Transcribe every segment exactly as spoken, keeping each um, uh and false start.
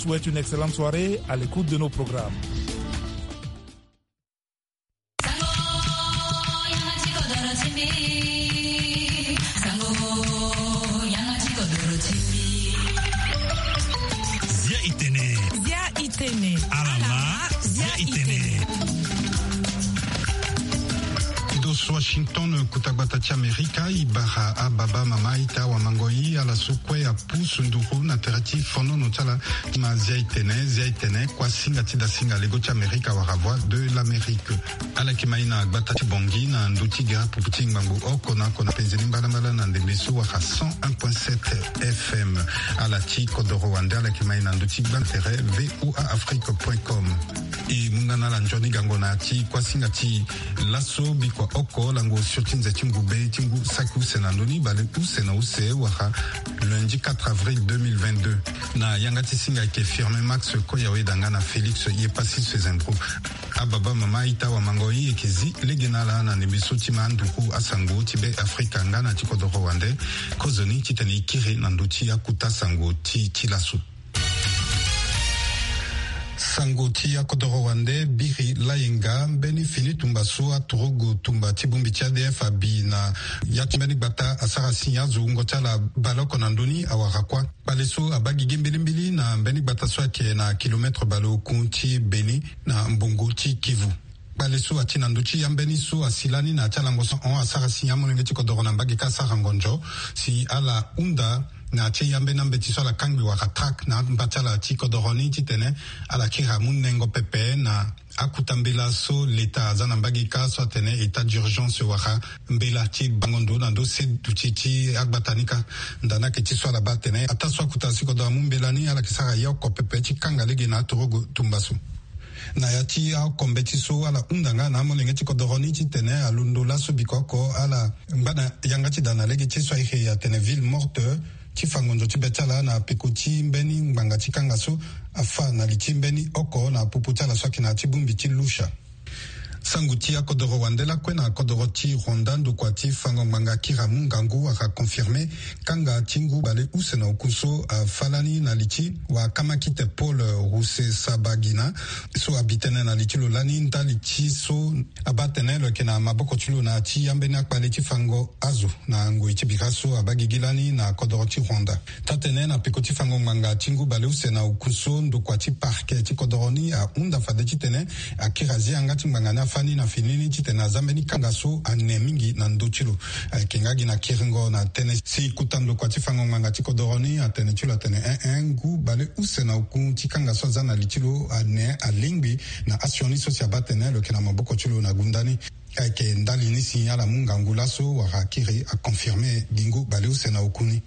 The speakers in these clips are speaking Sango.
Souhaite une excellente soirée à l'écoute de nos programmes. Zia itene. Zia itene. Alama. Zia itene. Dos Washington, kota gbata ti Amerika, e bara ababa, mama, ita, awamangoi, ala so kue apusu nduru na tere ti fonono ti ala. Ma Zia itene, Zia itene, kuasinga ti dasinga lego ti Amerika wala Voix de l'Amérique. Ala yeke ma e na gbata ti Bangui na ndö ti gara pupu ti ngbangbo oko na oko na penze ni mbalambala na ndembe so wala cent un point sept F M. Ala ti kodoro wande, ala yeke ma e na ndö ti gba na tere V O A Afrique point com. E mu nga na ala nzoni gango na ya ti kuasinga ti laso bikua oko lango sur ti nze ti ngube ti ngu saki use na ndö ni bale use na use wala lundi quatre avril deux mille vingt-deux. Na yanga ti singa ayeke Firmin Max Koyawe da nga na Félix Yepassis Fezendro. Ababa, mama, ita, awamangoi, e yeke zi lege na ala na ndembe so ti ma anduku asango ti Be Afrika nga na ti kodoro wande. Kozoni titene e kiri na ndö ti akuta sango ti, ti laso. Sango ti akodoro wande biri layenga mbeni fini tumba so aturugu tumba ti bongbi ti A D F abi na ya ti mbeni gbata asara si azo wungo ti ala baleoko na ndö ni awara kuâ. Kpale so abaa gigi mbilimbili na mbeni gbata so ayeke na kilometre baleoku ti Beni na mbongo ti Kivu. Kpale so ati na ndö ti ambeni so asi lani na ya ti alango so ahon asara si amolenge ti kodoro na mbage kâ asara ngonzo si ala hunda na ya ti ambeni ambeti so ala kangbi wala traque na amba ti ala ti kodoro ni titene ala kiri amu nengo pepe na akuta mbela so leta aza na mbage kâ so atene état d'urgence wala mbela ti bango ndo na ndö se duti ti agbata ni kâ. Nda ni ayeke ti so ala baa atene ataa so akuta si kodoro amu mbela ni ala yeke sara ye oko pepe ti kanga lege na aturugu tumba so. Na ya ti aoko mbeti so ala hunda nga na amolenge ti kodoro ni titene alondo laso biko oko ala ngba na yanga ti da na lege ti so aye atene ville morte ti fa ngonzo ti be ti ala na peko ti mbeni ngbanga ti kanga so afa na li ti mbeni oko na popo ti ala so ayeke na ya ti bongbi ti Lucha. Sango ti akodoro wande lakue na kodoro ti Rwanda, ndokua ti fango ngbanga kiri amu ngangu wala confirmer kanga ti ngu bale use na oku so afa lani na li ti wakamakite Paul Rusesabagina so abi tënë na li ti lo lani ndali ti so abaa atene lo yeke na maboko ti lo na ya ti ambeni akpale ti fango azo na ngoi ti bira so abaa gigi lani na kodoro ti Rwanda. Taa-tënë na peko ti fango ngbanga ti ngu bale use na oku so ndokua ti parquet ti kodoro ni ahunda fade titene akiri azi yanga ti ngbanga ni afa ni na fini ni titene aza mbeni kanga so ane mingi na ndö ti lo. Ayeke nga gi na kiringo na tënë si kota ndokua ti fango ngbanga ti kodoro ni atene ti lo atene en en ngu bale use na oku ti kanga so aza na li ti lo ane alingbi na asioni so si abaa atene lo yeke na maboko ti lo na gunda ni. Ayeke ndali ni si ala mu ngangu laso wala akiri aconfirmer gi ngu bale use na oku ni.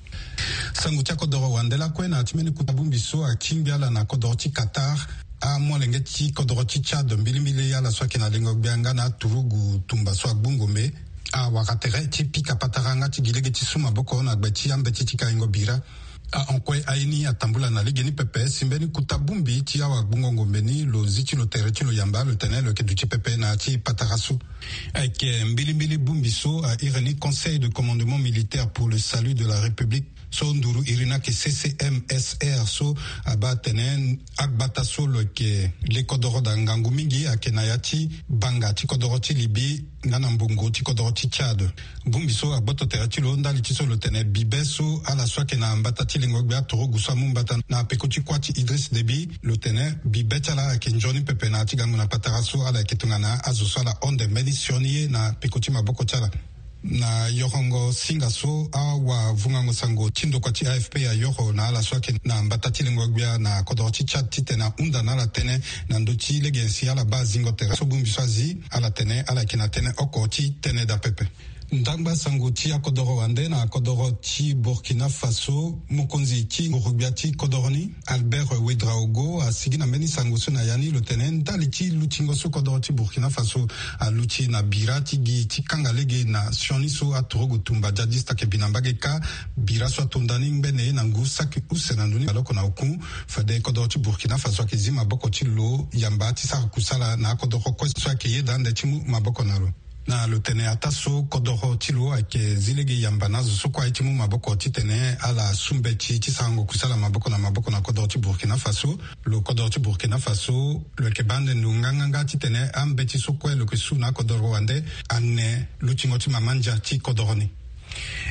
Sango ti akodoro wande lakue na ya ti mbeni kota bongbi so atingbi ala na kodoro ti Qatar. Amolenge ti kodoro ti Tchad mbilimbili ala so ayeke na lengo gbia nga na aturugu tumba so agbu ngombe awara tere ti pika patara nga ti gi lege ti su maboko na gbe ti ambeti ti kaingo bira. Ahon kue aye ni atambula na legeni pepe si mbeni kota bongbi ti awagbungo ngombe ni lo zi ti lo tere ti lo yamba lo tene lo yeke duti pepe na ya ti patara so. Ayeke mbilimbili bongbi so a iri ni Conseil de Commandement Militaire pour le Salut de la République so nduru iri ni ayeke C C M S R so abaa atene agbata so lo yeke le kodoro daa ngangu mingi ayeke na ya ti banga ti kodoro ti Libye nga na mbongo ti kodoro ti Tchad. Bongbi so agboto tere ti lo ndali ti so lo tene bibe so ala so ayeke na mbata ti lengo gbia aturugu so amu mbata na peko ti kuâ ti Idriss Déby lo tene bibe ti ala ayeke nzoni pepe na ya ti gango na patara so ala yeke tongana azo so ala honde mbeni sioni ye na peko ti maboko ti ala. Na yorongo singa so awavungango sango ti ndokua ti A F P ayoro na ala so ayeke na mbata ti lengo gbia na kodoro ti Tchad titene ahunda na ala tënë na ndö ti lege si ala baa zingo tere so bongbi so azi ala tene ala yeke na tënë oko ti tënë daa pepe. Ndangba sango ti akodoro wande na kodoro ti Burkina Faso, mokonzi ti nguru-gbia ti kodoro ni Albert Ouedraogo asigi na mbeni sango so na ya ni lo tene ndali ti lutingo so kodoro ti Burkina Faso aluti na bira ti gi ti kanga lege na sioni so aturugu tumba djadiste ayeke bi na mbage kâ. Bira so atonda ni ngbene na ngu saki use na ndoni baleoko na oku. Fade kodoro ti Burkina Faso ayeke zi maboko ti lo yamba ti sara kusala na akodoro kue so ayeke yeda ande ti mu maboko na lo. Na lo tene ataa so kodoro ti lo ayeke zi lege yamba na azo so kue aye ti mu maboko titene ala su mbeti ti sarango kusala maboko na maboko na kodoro ti Burkina Faso. Lo kodoro ti Burkina Faso lo yeke baa ande ndo nganganga titene ambeti so kue lo yeke su na akodoro wande ane lutingo ti mama ndia ti kodoro ni.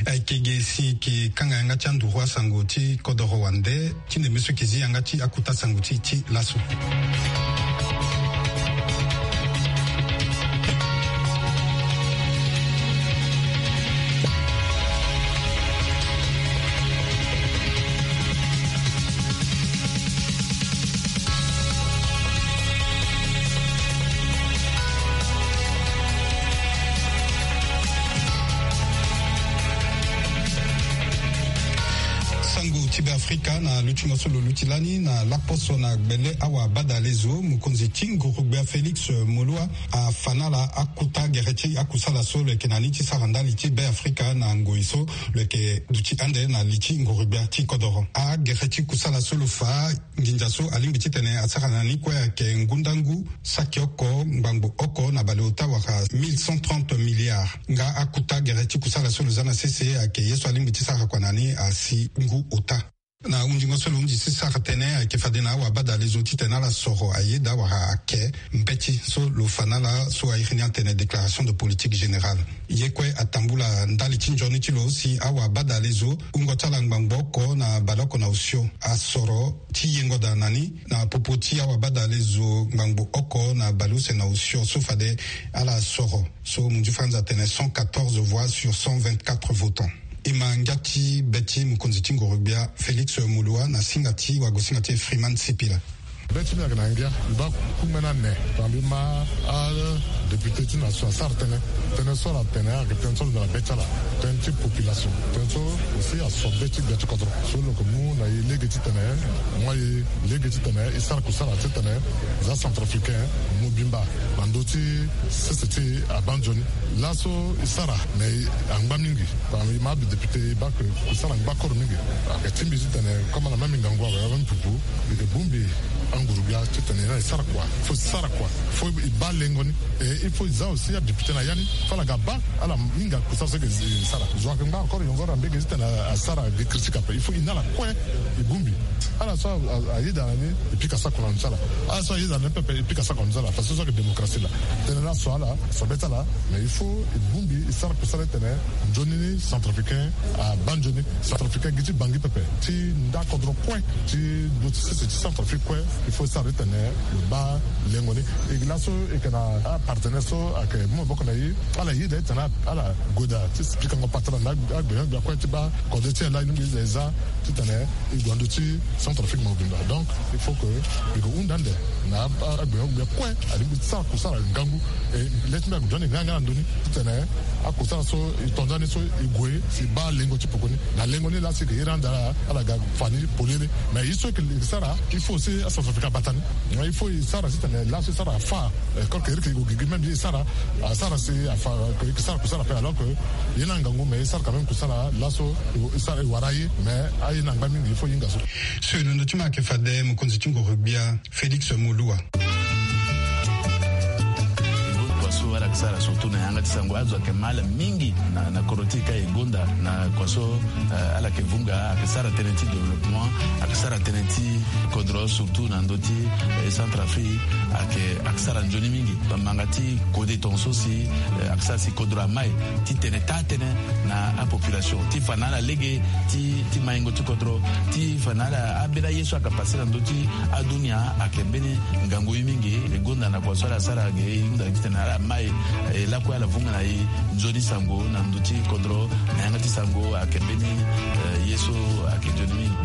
Ayeke ge si yeke kanga yanga ti anduru asango ti kodoro wande ti ndembe so yeke zi yanga ti akuta sango ti ti laso. Sango ti Beafrika na lutingo so lo luti lani na laposo na gbele awabadalezo, mokonzi ti ngurugbia Félix Moloua afa na ala akuta gere ti akusala so lo yeke na ni ti sara ndali ti Beafrika na ngoi so lo yeke duti ande na li ti ngurugbia ti kodoro. Agere ti kusala so lo fa nginza so alingbi titene asara na ni kue ayeke ngu ndangu saki oko ngbangbo oko na baleota wala mille cent trente milliards. Nga akuta gere ti kusala so lo za na sese ayeke ye so alingbi ti sara kua na ni asi ngu ota. Na hundingo so lo hundi ti sara tënë ayeke fade na awabadalezo titene ala soro ayeda wala ake mbeti so lo fa na ala so airi ni atene déclaration de politique générale. Ye kue atambula ndali ti nzoni ti lo si awabadalezo wungo ti ala ngbangbo oko na baleoko na osio asoro ti yengo daa na ni na popo ti awabadalezo ngbangbo oko na baleuse na osio so fade ala soro, so munzu franza atene cent quatorze voix sur cent vingt-quatre votants. E ma ngia ti be ti mokonzi ti ngurugbia Félix Moloua na singa ti wagosinga ti e Freeman Sipila. Be ti mbi ayeke na ngia, mbi baa kungbi ni ane. Tongana mbi ma adéputé ti nation asara tënë, tënë so ala tene ayeke tënë so lo na be ti ala, tënë ti population, tënë so aussi aso be ti gbia ti kodro. So lo yeke mu na e lege titene, mu aye lege titene e sara kusala titene za centrafricain mobimba na ndö ti sese ti e abaa nzoni. Laso e sara me angba mingi. Tongana e ma adéputé e baa ke kusala angba koro mingi. Ayeke ti mbi titene comme ala ma mbi ngangu awe awe mpupu, mbi yeke bongbi angurugbia titene e na e sara kua. Fo e sara kua, fo e baa lengo ni. E il faut e za aussi adéputé na ya ni, fo ala ga baa ala hinga kusala so e yeke sara. Zo ayeke ngba encore yongoro na mbege titene asara gi critique ape. Il faut e na ala kue e bongbi. Ala so a- a- ayeda na ni e pika sako na ndö ti ala. Ala so ayeda na ni pepe e pika sako na ndö ti ala parce que so ayeke démocratie laa. Tënë laso ala so be ti ala. Mais il faut e bongbi e sara kusala titene nzoni ni centrafricain abaa nzoni. Centrafricain gi ti Bangui pepe, ti nda kodro kue, ti ndö ti sese ti Centrafrique kue, il faut e sara titene lo baa lengo ni. E gi laso e yeke na apartenaire so ayeke mu maboko na e, ala yeda titene ala gue daa ti pikango patara na agbenyo-gbia kue ti baa kode ti e laa e lingbi e za titene e gue na ndö ti Centrafrique mobimba. Donc il faut que mbi yeke hunda ande na agbenyo-gbia kue alingbi ti sara kusala ngangu. E le ti mbi ayeke duti ande nganga na ndö ni titene akusala so e to nda ni so e gue si e baa lengo ti poko ni. Na lengo ni laa si e yeke iri ande ala ga fa ni polele. Mais ye so e yeke sara il faut si acentrafricain abata ni. Il faut e sara titene laso e sara afa. Corke iri ke e gue gigi même ye e sara asara si afa. E yeke sara kusala ape alors que ye ni angangu mais e sara quand même kusala laso e sara e wara aye. Mais aye ni angba mingi il faut e hinga so. So e londo ti ma ayeke fade mokonzi ti ngoro-gbia Félix Moloua. Kua so ala yeke sara surtout na yanga ti sango azo ayeke ma ala mingi na, na kodro ti e ka e gonda na kua so, eh, ala yeke vunga ayeke sara tënë ti développement, ayeke sara tënë ti kodro surtout na ndö ti, eh, Centrafrique ayeke, ayeke sara nzoni mingi. Bambanga ti kode tongaso si, eh, ayeke sara si kodro amai ti tene taa tënë na apopulation ti fa na ala lege ti, ti maingo ti kodro ti fa na ala ambeni aye so ayeke pase na ndö ti adunia ayeke mbeni ngangu ye mingi. E gonda na kua so ala sara ge e hunda titene ala mai, eh, lakue ala vunga na e nzoni sango na ndö ti kodro na yanga ti sango ayeke mbeni, eh, ye so ayeke nzoni mingi.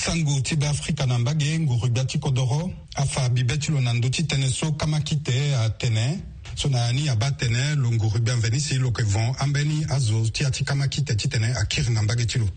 Sango ti Beafrika na mbage. Nguru-gbia ti kodoro afa bibe ti lo na ndö ti tënë so kamakite atene So na ni abaa atene lo nguru gbia mveni si lo yeke von ambeni azo ti ya ti kamakite titene akiri na mbage ti lo.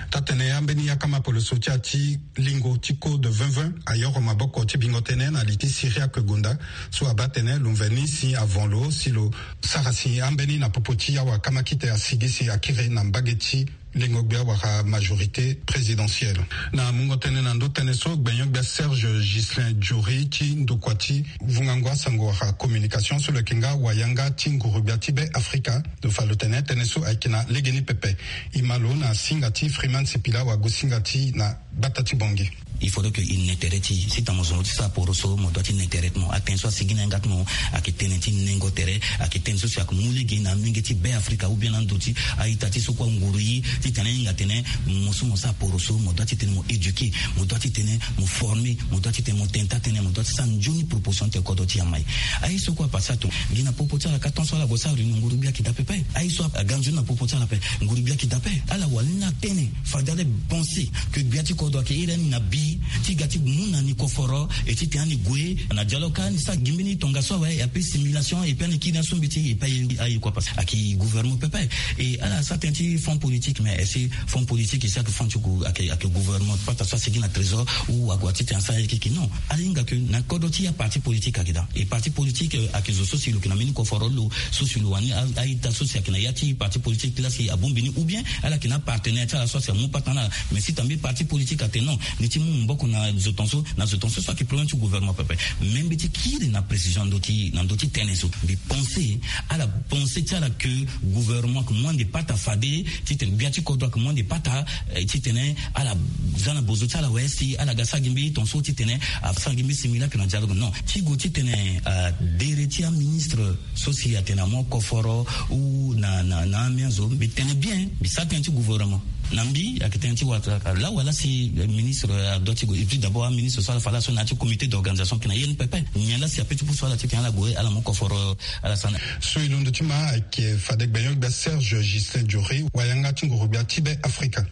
Taa-tene ambeni akama poloso ti ya ti lingo ti code vingt vingt ayoro maboko ti bingo tënë na li ti Syriaque Gonda. So abaa atene lo mveni si avon lo si lo sara si ambeni na popo ti awakamakite asigi si akiri na mbage ti lingo gbia wala majorité présidentielle. Na mungo tënë na ndö tënë so, gbenyo-gbia Serge Ghislain Jory ti ndokua ti vungango asango wala communication so lo yeke nga wayanga ti nguru-gbia ti Be Afrika, lo fa lo tene tënë so ayeke na legeni pepe. E ma lo na singa ti Freeman Sipila wagosinga ti na bata ti Bangui. Il faudrait que e ne tere ti e si tongana mo zo mo ti sara poroso, mo doit ti ne tere ti mo. Atënë so asigi na yanga ti mo ayeke tënë ti nengo tere, ayeke tënë so si ayeke mu lege na amolenge ti Be Afrika ou bien na ndo ti a-ita ti so kue anguru ye titene ahinga atene mo so mo sara poroso, mo doit titene mo éduquer, mo doit titene mo former, mo doit titene mo tene taa-tënë, mo doit ti sara nzoni proposition titene kodro ti e amai. Aye so kue apase ato gi na popo ti ala ka ton so ala gue sara réunion, nguru-gbia ayeke daa pepe. Aye so aga nzoni na popo ti ala ape, nguru-gbia ayeke daa ape. Ala wani na tënë, fade ala pense que gbia ti kodro ayeke iri ani na bi ti ga ti mu na ni koforo, e titene ani gue na dialogue, ka ani sara gi mbeni tongaso awe, e appelle simulation, e pe ani kiri na so mbi ti e, e pe aye, aye kua parce que ayeke gouvernement pepe. E ala sara tënë ti fonds politique, mais est-ce que fonds politique e si ayeke fonds ti gou-, ayeke, ayeke gouvernement, pata so asigi na trésor ou ague titene asara ye keke? Non. Ala hinga que na kodro ti e aparti politique ayeke daa. E parti politique, euh, ayeke zo so si lo yeke na mbeni koforo lo, so si lo wani a, a-ita so si ayeke na ya ti parti politique ti la si abongbi ni, ou bien ala yeke na apartenaire ti ala so si amu pata na ala. Mais si tambe parti politique atene non, ni ti mu maboko na zo tongaso, na zo tongaso, so ayeke problème ti gouvernement pepe. Mais mbi ti kiri na précision na ndö ti, na ndö ti tënë so. Mbi pense, ala pense ti ala que gouvernement ayeke mu ande pata fade titene gbia ti kodro ayeke mu ande pata, eh, titene ala za na bozo ti ala awe si ala ga sara gi mbeni tongaso titene asara gi mbeni simulacre na dialogue. Non. Ti gue titene, ah, dere ti aministre so si atene amu koforo ou na, na, na amiens so, mbi tene bien, mbi sara tënë ti gouvernement. Na mbi ayeke tënë ti wara, laa wala si, eh, ministre, eh, adoit ti gue, et puis d'abord aministre so ala fa laso na ya ti comité d'organisation ayeke na ye ni pepe. Nyen laa si ape ti pusu ala titene ala gue ala mu koforo, ala sara na. So e londo ti ma ayeke fade gbenyo-gbia Serge Ghislain Jory, wayanga ti nguru-gbia ti Be Afrika.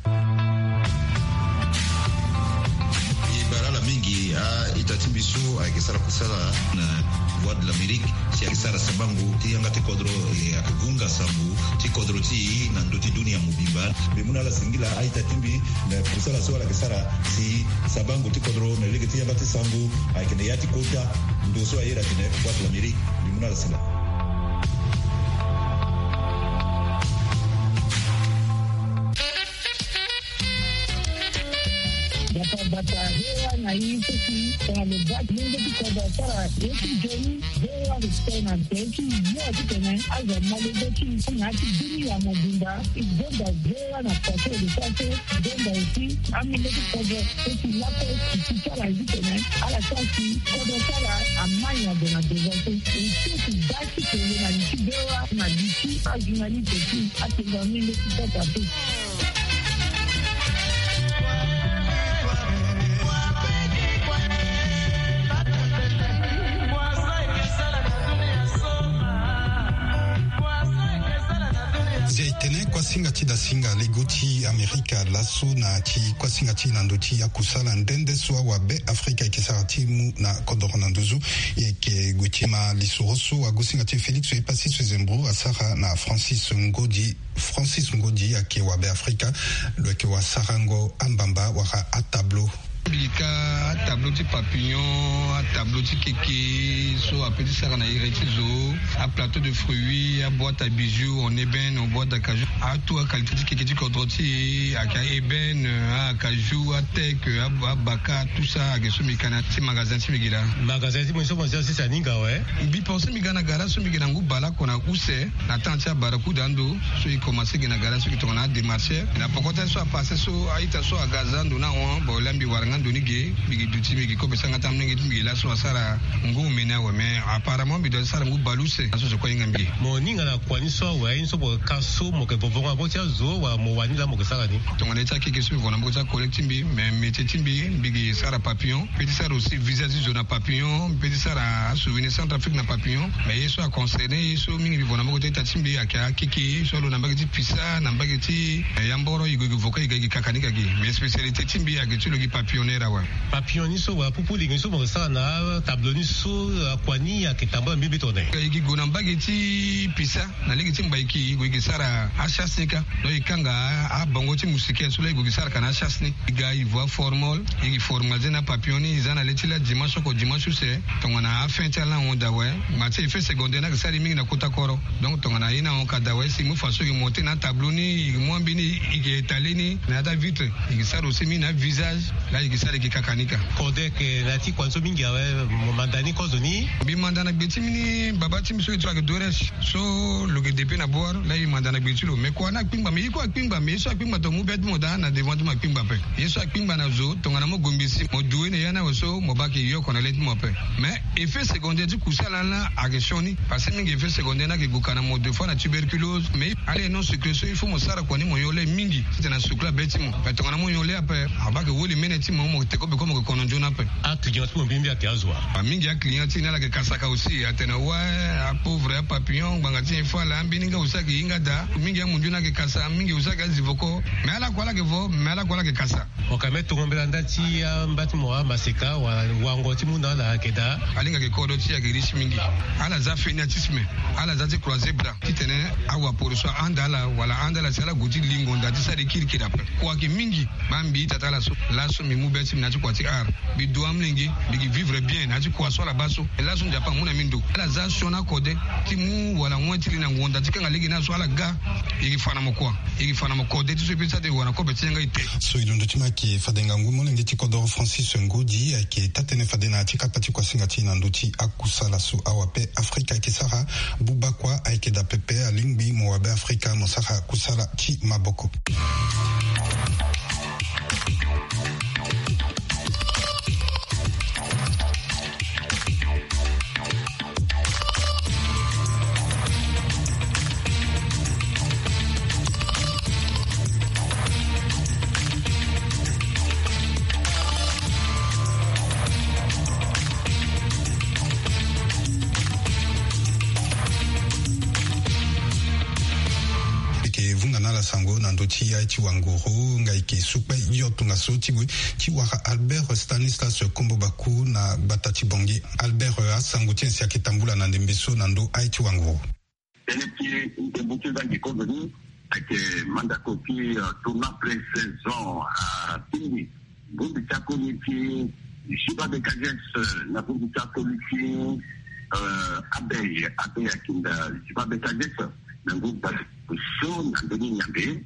E bara ala mingi a-ita ti mbi so ayeke sara kusala na Voix de l'Amérique, si ayeke sara sabango ti yanga ti kodro, e, ayeke hunga sango ti kodro ti e na ndö ti dunia mobimba. Mbi mu na ala singila a-ita ti mbi na kusala so ala yeke sara si sabango ti kodro na lege ti yanga ti sango ayeke na ya ti kota ndo so a iri atene Voix de l'Amérique. Mbi mu na ala singila. Bata bata, V O A na e so si tongana lo baa ti lenge ti kodro asara ye ti nzoni, V O A lo tene na nze ti yo titene azo amolenge ti e na ya ti dunia mobimba. E gonda V O A na façon e lo sara so, e gonda aussi amolenge ti kodro so si lakue e si ti ala titene ala sara si kodro ti ala amai na ndo na devant so. E so si baa ti tene na li ti V O A na li ti ajournaliste ti atene na amolenge ti kodro ape. Zia e tene kuasinga ti dasinga lego ti Amerika laso na ti kuasinga ti na ndo ti akusala nde nde so awa Be Afrika e yeke sara ti mu na kodoro na nduzu. E yeke gue ti ma lisoro so agosinga ti Félix Epassi Sezembro asara na Francis Ngodi. Francis Ngodi ayeke wa Be Afrika, lo yeke wa sarango ambamba wala atablo. Mbi ka atablo ti papillon, atablo ti keke so ape ti sara na iri ti zo, aplateau de fruits, aboîte à bijoux en ébène, en boîte d'acajou, atout aqualité ti keke ti kodro ti e ayeke a-ébène, acajou, ateke, abaka, tout ça ayeke so mbi ka na ti magasin ti mbi gi laa. Magasin ti mbi so mo zi asese aninga awe. Mbi pense mbi ga na gara so mbi gi na ngu bale oko na use. Na temps ti abarakuda ando so e commencé gi na gara so e tongana adémarché. Na poko ti aye so apassé so a-ita so aga aza ando ni ahon, bon laa mbi wara nga ndo ni ge, mbi gi duti mbi gi kobe sara nga ti amolenge ti mbi gi laso asara ngu omene awe, mais apparemment mbi doit ti sara ngu bale use. Laso zo kue ahinga mbi. Mo ninga na kua ni so awe, aye ni so mo yeke ka so mo yeke vovo nga na maboko ti azo wala mo wani laa mo yeke sara ni? Tongana ye ti akeke so mbi vo na maboko ti acollègue ti mbi, mais métier ti mbi, mbi gi sara papillon. Mbi pe ti sara aussi visa ti zo na papillon, mbi pe ti sara asouvenir Centrafrique na papillon. Mais ye so aconcerné ye so mingi mbi vo na maboko ti a-ita ti mbi ayeke akeke so alo na mbage ti Pisa, na mbage ti, eh, Yamboro, e gue e gue vo ka e ga e gi kaka ni ka gi. Mais spécialité ti mbi ayeke ti lo gi papillonneur awe. Papillon ni So wala pupu lingi so mo sara na tableau ni so akua ni ayeke tambula mbi mbi tongana e yeke gue na mbage ti pisa na lege ti mbaiki e gue e yeke sara achasse ni kâ. Donc e kanga abongo ti moustiquaire so la e gue e yeke sara ka na achasse ni. E ga e vo aformol e yeke formalise na papillon ni e za na le ti la dimanche oko dimanche use. Tongana afin ti ala ahon daa awe. Ma ti effet secondaire ni ayeke sara e mingi na kota koro. Donc tongana ye ni ahon ka daa awe si e mu façon e yeke monter na atableau ni e yeke mu ambeni e yeke étaler ni na ya ti avitre. E yeke sara aussi mingi na avisage. La e yeke sara e yeke kaka ni kâ. Kode ayeke na ya ti kua ni so mingi awe. Mo manda ni kozo ni. Mbi manda na gbe ti mbi ni baba ti mbi so e ti lo ayeke Doresh. So lo yeke depe na bor la e manda na gbe ti lo me kua ni akpingba me ye kue akpingba me ye so akpingba tongana mo mu be ti mo daa na devant ti mo akpingba ape. Ye so akpingba na zo tongana mo gue ngbe si mo due na ya ni awe so mo baa ayeke yoko na le ti mo ape. Mais effet secondaire ti kusala ni la ayeke sioni. Parce que mingi effet secondaire ni ayeke gue ka na mo deux fois na tuberculose mais ala ye non sucre so il faut mo sara kua ni mo nyon le mingi. Titene asukula be ti mo mais tongana mo nyon le ape abaa ayeke woli mene ti mo mo teko beko mo yeke kono nzoni ape. Aclient ti mo mbi mbi ayeke azo wa? Mingi aclient ti e ni ala yeke kasaka aussi atene wa apauvre apapillon ngbanga ti nyen fo ala ambeni nga aussi ayeke hinga daa. Mingi amundu ni ayeke kasa mingi aussi ayeke azi voko. Mais ala kue ala yeke vo mais ala kue ala yeke kasa. Mo ka me tongo mbela nda ti amba ti mo amaseka wala wango ti mu na ala ayeke daa. Alingbi ayeke kodro ti e ayeke riche mingi. Ala za fainéantisme. Ala za ti croiser bras titene awaporo so ahanda ala wala ahanda ala si ala gue ti lingo nda ti sara e kirikiri ape. Kua ayeke mingi. Baa mbi ita ti ala so laso mbi mu be ti mbi na ya ti kua ti art. Mbi du amolenge mbi yeke vivre bien na ya ti kua so ala baa so. Laso Nzapa amu na mbi ndo ala za sioni akode ti mu wala wen ti li na ngonda ti kanga lege ni aso ala ga. E yeke fa na mo kua? E yeke fa na mo kode ti so e pe ti sara ti wara na kobe ti yanga ete. So e londo ti mo ayeke fade ngangu molenge ti kodoro Francis Ngudi ayeke taa-tënë fade na ya ti kapa ti kuasinga ti e na ndö ti akusala so awape Afrika ayeke sara. Buba kua ayeke daa pepe alingbi mo wabe Afrika mo sara kusala ti maboko. Eke vunga na ala sango na ndö ti aye ti wanguru nga eke sukpe yo tongaso ti gue ti wara Albert Stanislas Kombo Baku na gbata ti Bangui. Albert, asango ti nyen si ake tambula na ndembe so na ndö aye ti wanguru? Tënë ti ndembo ti nzangi kozo ni ayeke mandako ti tournant pré-saison. Atingbi bongbi ti akoli ti Juba Bekages na bongbi ti akoli ti Abei. Abei akinda Juba Bekages na ngu bale so na ndö ni nyambe.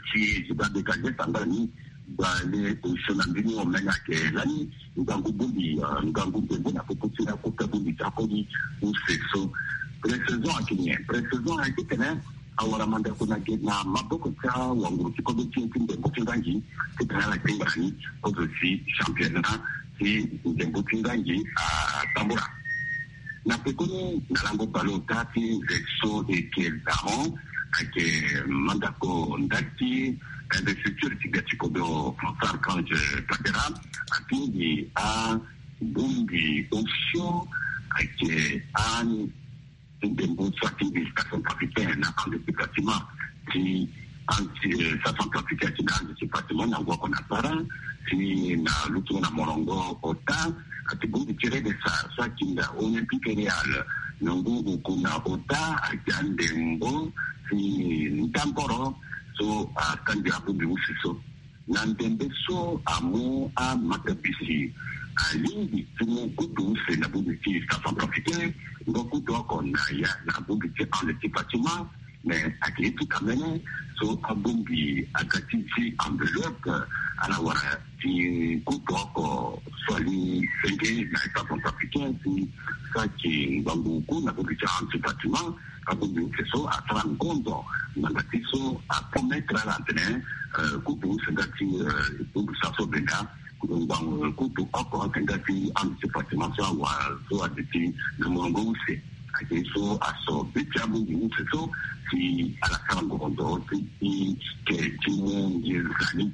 Si ziba beka ge samba ni. Bale osio na mbini omene ake lani ngangu bongbi, ngangu ngbengbe na popo ti akota bongbi ti akoli use so. Pré-saison ake nyen? Pré-saison ake tene awara mandako na ge na maboko ti awanguru ti kobe ti e ti ndembo ti ngangi. Ti tene ala kpengba na ni kozo si championnat ti ndembo ti ngangi atambula. Na pekoni na lango bale ota ti nze so eke dahon ayeke mandako nda ti investiture ti gbia ti kodro François Archange Touadéra atingbi abongbi osio ayeke andembo so atingbi station africaine na ande ti bâtiment ti anti sa centrafricain ti na ande ti bâtiment na ngu oko na para ti na lutungo na molongo ota. Ati bongbi ti redesa so atinda Olympique Real na ngu oku na ota ati andembo ti ndangoro so akangbi abongbi use so. Na ndembe so amu amatabisi alingbi ti mu kutu use na bongbi ti station centrafricain ngo kutu oko na ya na bongbi ti ande ti bâtiment. Mais ayeke ye ti kamene so abongbi aga ti ti enveloppe ala wara ti kutu oko so ali senge na état centrafricain ti saki ngbangbu ku na bongbi ti anti bâtiment. Abongbi use so asara ngonzo ngbanga ti so apromettre ala atene kutu use nga ti bongbi sa so benda. Ngbangbu kutu oko ake nga ti ande ti bâtiment so awa so ade ti na molongo use. Ake so aso be ti abongbi use so si ala sara ngongo ti ke ti mu nginza ni.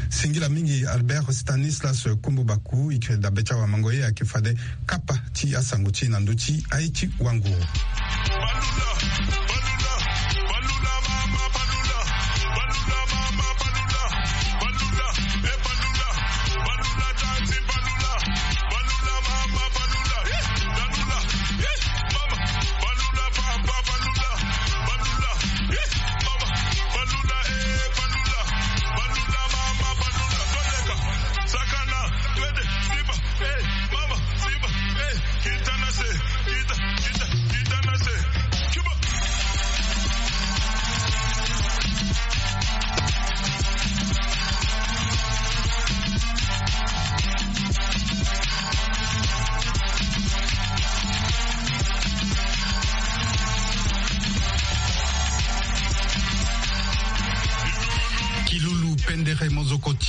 Singila mingi Albert Stanislas Kombo Baku. Ikiri dabe ti awamango ye ake fade kapa ti asango ti e na ndö ti aye ti wanguru.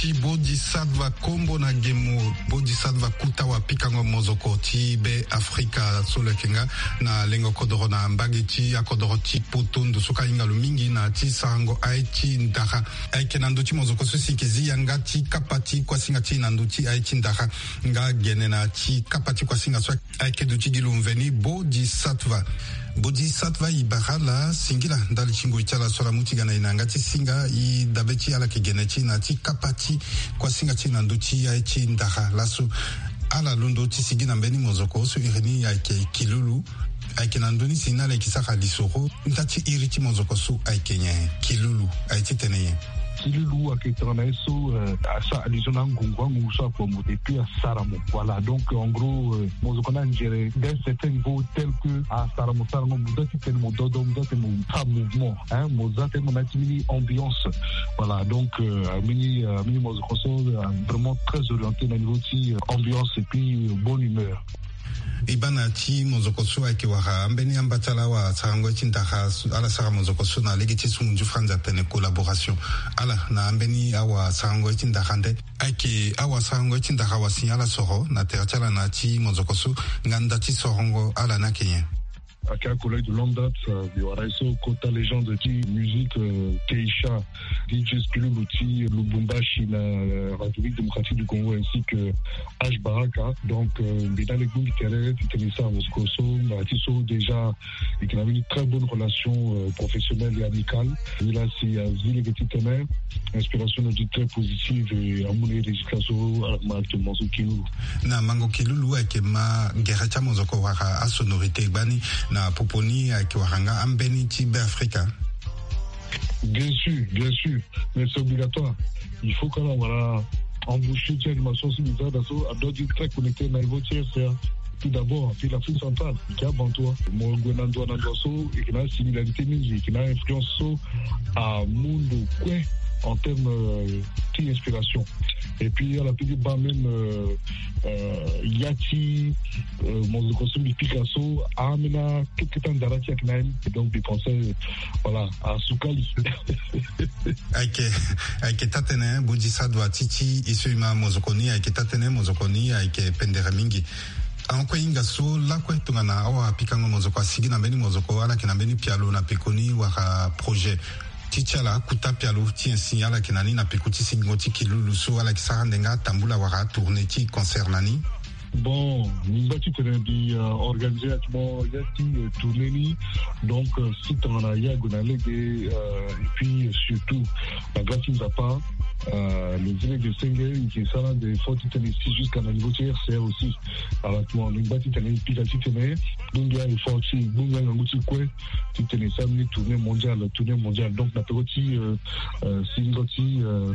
Ti Bodhisattva Kombo na Gemo, Bodhisattva Kuta wa pikango mozoko ti Be Afrika so lo yeke nga na lengo kodoro na mbage ti akodoro ti poto ndo so ka hinga lo mingi na ti sarango aye ti ndara. Ayeke na ndö ti mozoko so si yeke zi yanga ti kapa ti kuasinga ti e na ndö ti aye ti ndara. Nga gene na ti kapa ti kuasinga so ayeke duti gi lo mveni Bodhisattva. Bodhisattva, e bara ala singila ndali ti ngoi ti ala so ala mu ti ga na e na yanga ti singa. E dabe ti ala yeke gene ti e na ti kapa ti kuasinga ti e na ndö ti aye ti ndara. Laso ala londo ti sigi na mbeni mozoko so iri ni ayeke Kilulu. Ayeke na ndö ni si na ala yeke sara lisoro. Nda ti iri ti mozoko so ayeke nyen? Kilulu aye titene nyen? Kilulu ayeke tongana ye so, euh, asara allusion na angungu, angungu so akua mo et puis asara mo. Voilà, donc, euh, en gros, euh, mozoko ni anzere d'un certain niveau tel que asara mo sarango, mo za titene mo dodo, mo za titene mo sara mouvement, hein, mo za titene mo na ya ti mbeni ambiance. Voilà, donc, euh, mbeni, euh, mbeni mozoko so, euh, vraiment très orienté na niveau ti, euh, ambiance et puis, euh, bonne humeur. E baa na ya ti mozoko so ayeke wara ambeni amba ti ala awasarango ye ti ndara so, ala sara mozoko so na lege ti sungu nzu franzi atene collaboration. Ala na ambeni awasarango ye ti ndara nde ayeke awasarango ye ti ndara wasi ala soro na tere ti ala na ya ti mozoko so, nga nda ti sorongo ala ni ayeke nyen? Aka collègue de longue date, euh, mbi wara ye so kota légende ti musique, euh, Keisha, D J Spilulu ti Lubumbashi na, euh, République Démocratique du Congo, ainsi que H Baraka. Donc, euh, mbi na le gbu mbi tere titene e sara mozoko so na ti so déjà e yeke na mbeni très bonne relation, euh, professionnelle et amicale. Nilaa si azi lege titene inspiration na e ti très positive et amu na e résultat so ala ma actuellement so Kilulu. Na mango Kilulu ayeke ma gere ti amozoko wala asonorité gbani na popo ni ayeke wara nga ambeni ti Be Afrika. Bien sûr, bien sûr, mais c'est obligatoire. Il faut que ala wara embouchure ti animation so mbi za daa so, a doit être très connecté na niveau ti R C A. Tout d'abord, puis l'Afrique centrale, e yeke abanto. Mo gue na ndo na ndo so, e yeke na similarité mingi, e yeke na influence so amu ndo kue en terme, euh, ti inspiration. Et puis ala peut ti baa même, euh, euh, ya ti, euh, mozoko so mbi pika so, ambeni akete ti andara ti e ayeke na ye ni. Donc mbi pense, voilà, asukali. Ayeke, ayeke taa-tënë, Bodhisattva, ti ti e so e ma mozoko ni ayeke taa-tënë, mozoko ni ayeke pendere mingi. Ahon kue e hinga so lakue tongana awapikango mozoko asigi na mbeni mozoko, ala yeke na mbeni pialo na peko ni wala projet ti ti ala akuta pialo ti nyen si ala yeke na ni na peko ti sigingo ti Kilulu so ala yeke sara nde nga atambula wala atourné ti concert na ni? Bon, mbi ngba titene mbi, euh, organisé actuellement ya ti, euh, tournée ni. Donc, euh, si tongana ya gue na lege, euh, et puis, euh, surtout na grâce ti Nzapa, euh, le zile de senge e yeke sara nde fort titene e si jusqu'à na niveau ti R C A aussi. Actuellement mbi ngba titene e pika titene e gbungi a-effort ti e, e gbungi angangu ti e kue titene e sara mbeni tournée mondiale, tournée mondiale. Donc na peko ti, euh, euh, sigingo ti, euh,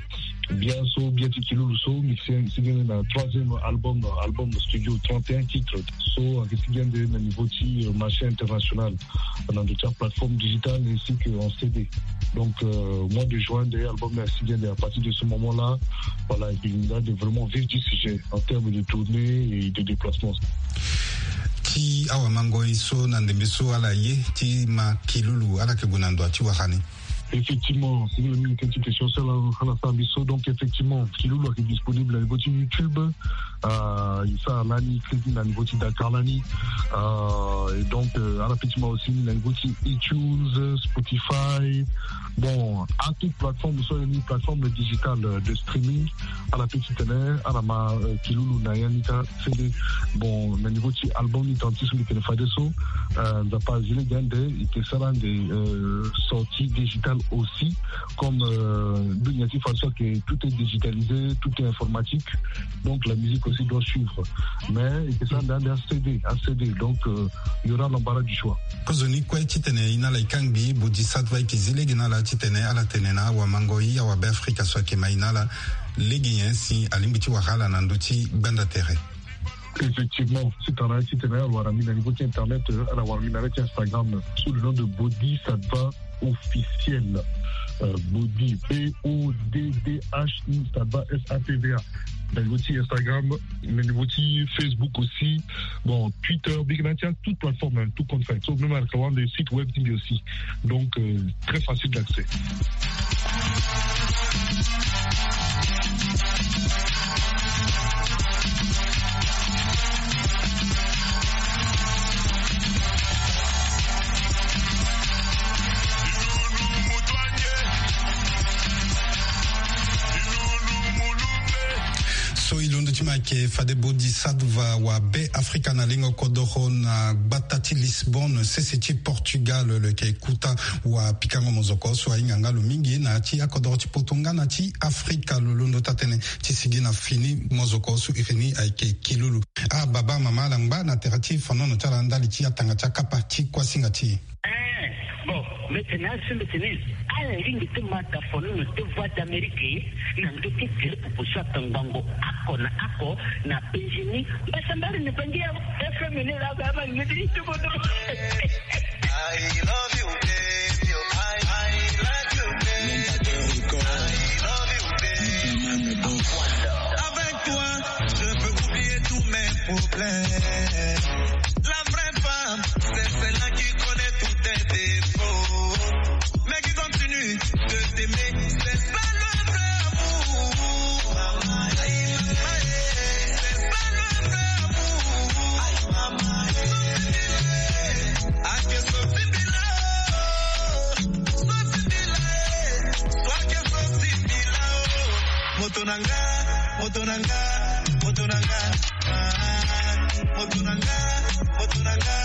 bia so, bia ti Kilulu so, mbi si, mbi sigi na troisième album, album studio trente et un titres. So ayeke sigi ande na niveau ti, euh, marché international, na ndo ti aplateforme digitale ainsi que en C D. Donc, euh, mois de juin nde album ni asigi ande. À partir de ce moment-là, voilà, e yeke na ande vraiment vif du sujet en termes de tournée et de déplacement. Ti awamangoi so na ndembe so ala ye ti ma Kilulu, ala yeke gue na ndo ti wara ni? Effectivement, c'est une bonne question. Celle-là, on a fait un bisou. Donc, effectivement, Kilulu est disponible au niveau de YouTube. Euh, il sera là, il est na niveau de Dakar, là, ni. Euh, et donc, euh, ala peut ti ma aussi na niveau de iTunes, Spotify. Bon, à toute plateforme, soit une plateforme digitale, euh, de streaming. Ala peut ti tene, ala ma, euh, Kilulu na ya ni ka. Fende, bon, na niveau ti album ni, tant ti so mbi tene fade so, euh, Nzapa azi lege ande, e yeke sara nde, euh, sortie digitale aussi, comme, euh, mbi ngia ti façon que tout est digitalisé, tout est informatique, donc la musique aussi doit suivre. Mais e yeke sara nde ande a C D, a C D, donc, euh, il y aura l'embarras du choix. Kozoni kue titene e na ala e kangbi, Bodhisattva e yeke zi lege na ala titene ala tene na awamangoi, awabeafrika so ayeke ma e na ala, lege nyen si alingbi ti wara ala na ndö ti gbanda tere? Effectivement, si tongana titene ala wara mbi na niveau ti internet, euh, ala wara mbi na ya ti Instagram sous le nom de Bodhisattva officiel. Euh, Bodhi, B O D D H I, Sattva, S A T V A. Na niveau ti Instagram, na niveau ti Facebook aussi. Bon, Twitter, mbi yeke na ya ti toute plateforme, hein, tout compte fait. So même ala ka wara nde site web ti mbi aussi. Donc, euh, très facile d'accès. Ke fade bodi sadva wa be Afrika na lingo kodoro na gbata ti Lisbonne, sese ti Portugal, lo ke kuta wa pikango mozoko so ahinga nga lo mingi na ya ti akodoro ti poto nga na ti Afrika. Lo londo taa-tënë ti sigi na fini mozoko so iri ni ayeke kilulu. Ah baba, mama, ala ngba na tere ti fonono ti ala ndali ti atanga ti akapa ti kuasinga ti e. Eh, bon, mbi tene asi, mbi tene ala lingbi ti ma daa fonono ti Voix d'Amérique na ndö ti tere pupu so atongbango oko na oko na penzi ni. Mbasambala ni bangi ya F M ni la, ba, ba, ni ti, ti, ti, I love you, baby. I, I like you, baby. I love you, baby. Avec toi, je peux oublier tous mes problèmes. La vraie femme, c'est celle-là qui connaît tous tes défauts, mais qui continue de t'aimer. C'est ça le vrai amour. C'est ça le vrai amour. Ake so ti mbila o, so ti mbila e, so ake so ti mbila o. Moto na nga, moto na nga, moto na nga. Ah, moto na nga, moto na nga,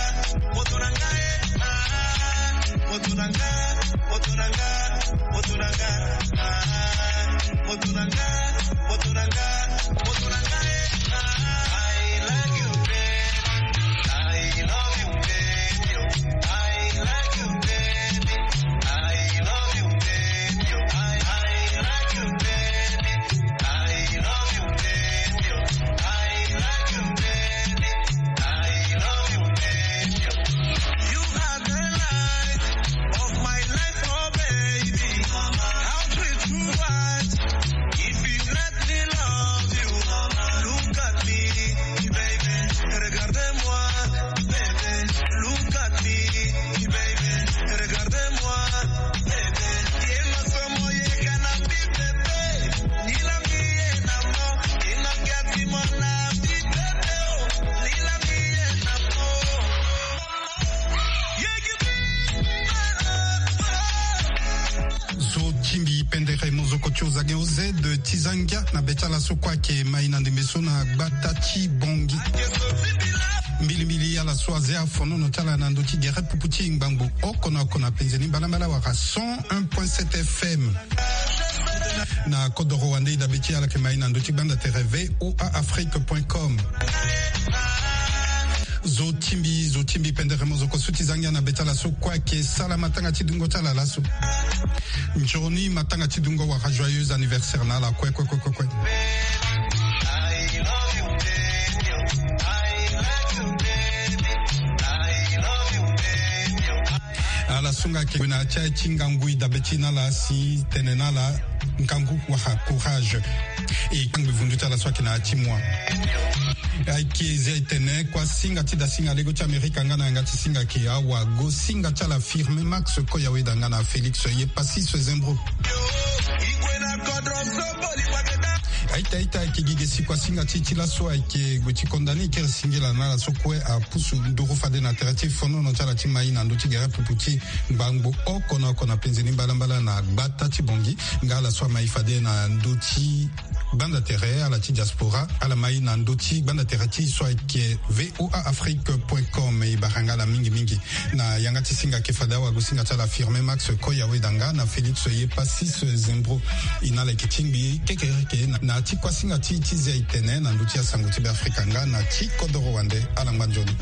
moto na nga, eh. Ah, moto na nga, moto na nga, moto na nga. Ah, moto na nga, moto na nga, moto na nga, eh. Ah, I like you, baby. I love you, baby. I like you, baby. I love you, baby. I, I like you, baby. I love you, baby. I like you, baby. I love you, baby. You are the light of my life, oh baby. I'll treat you right if you let me love you. Look at me, baby. Regarde-moi, baby. Look at me, baby. Regarde-moi, baby. Ye masomo ye kana bi, baby. Zo ti mbi pendere mozoko ti ozange oze de ti zangia na be ti ala so kue ayeke mai na ndembe so na gbata ti Bongi. Mbilimbili ala so aze afonono ti ala na ndö ti gere pupu ti ngbangbo oko na oko na penze ni mbalambala wala cent un point sept F M. Na kodoro wande e dabe ti ala yeke mai na ndö ti gbanda tere V O A Afrique point com. Zo ti mbi, zo ti mbi pendere mozoko so ti zangia na be ti ala so kue ayeke sala matanga ti dungo ti ala laso. Nzoni matanga ti dungo wala joyeux anniversaire na ala kue kue kue kue kue. Ala sunga ke na ti aye ti ngangu e dabe ti na ala si tene na ala ngangu wala courage. E kpangbi vundu ti ala so ayeke na ya ti moi. Ayeke zia e tene kuasinga ti dasinga lego ti Amerika nga na yanga ti singa ke awagosinga ti ala Firme Max Koyaweda nga na Félix Yepasis Zembro. Aita aita ayeke gi ge si kuasinga ti e ti laso ayeke gue ti konda ni kiri singila na ala so kue apusu nduru fade na tere ti fonono ti ala ti mai na ndö ti gere pupu ti ngbangbo oko na oko na penze ni mbalambala na gbata ti Bongi. Nga ala so amai fade na ndö ti gbanda tere, ala ti diaspora, ala mai na ndö ti gbanda tere ti e so ayeke V O A Afrique point com. E bara nga ala mingi mingi. Na yanga ti singa ke fade awagosinga ti ala Firme Max Koyaweda nga na Félix Yepasis Zembro. E na ala yeke tingbi kekereke na, na ti kuasinga ti e ti zia e tene na ndö ti asango ti Beafrika nga na ti kodoro wande. Ala ngba nzoni.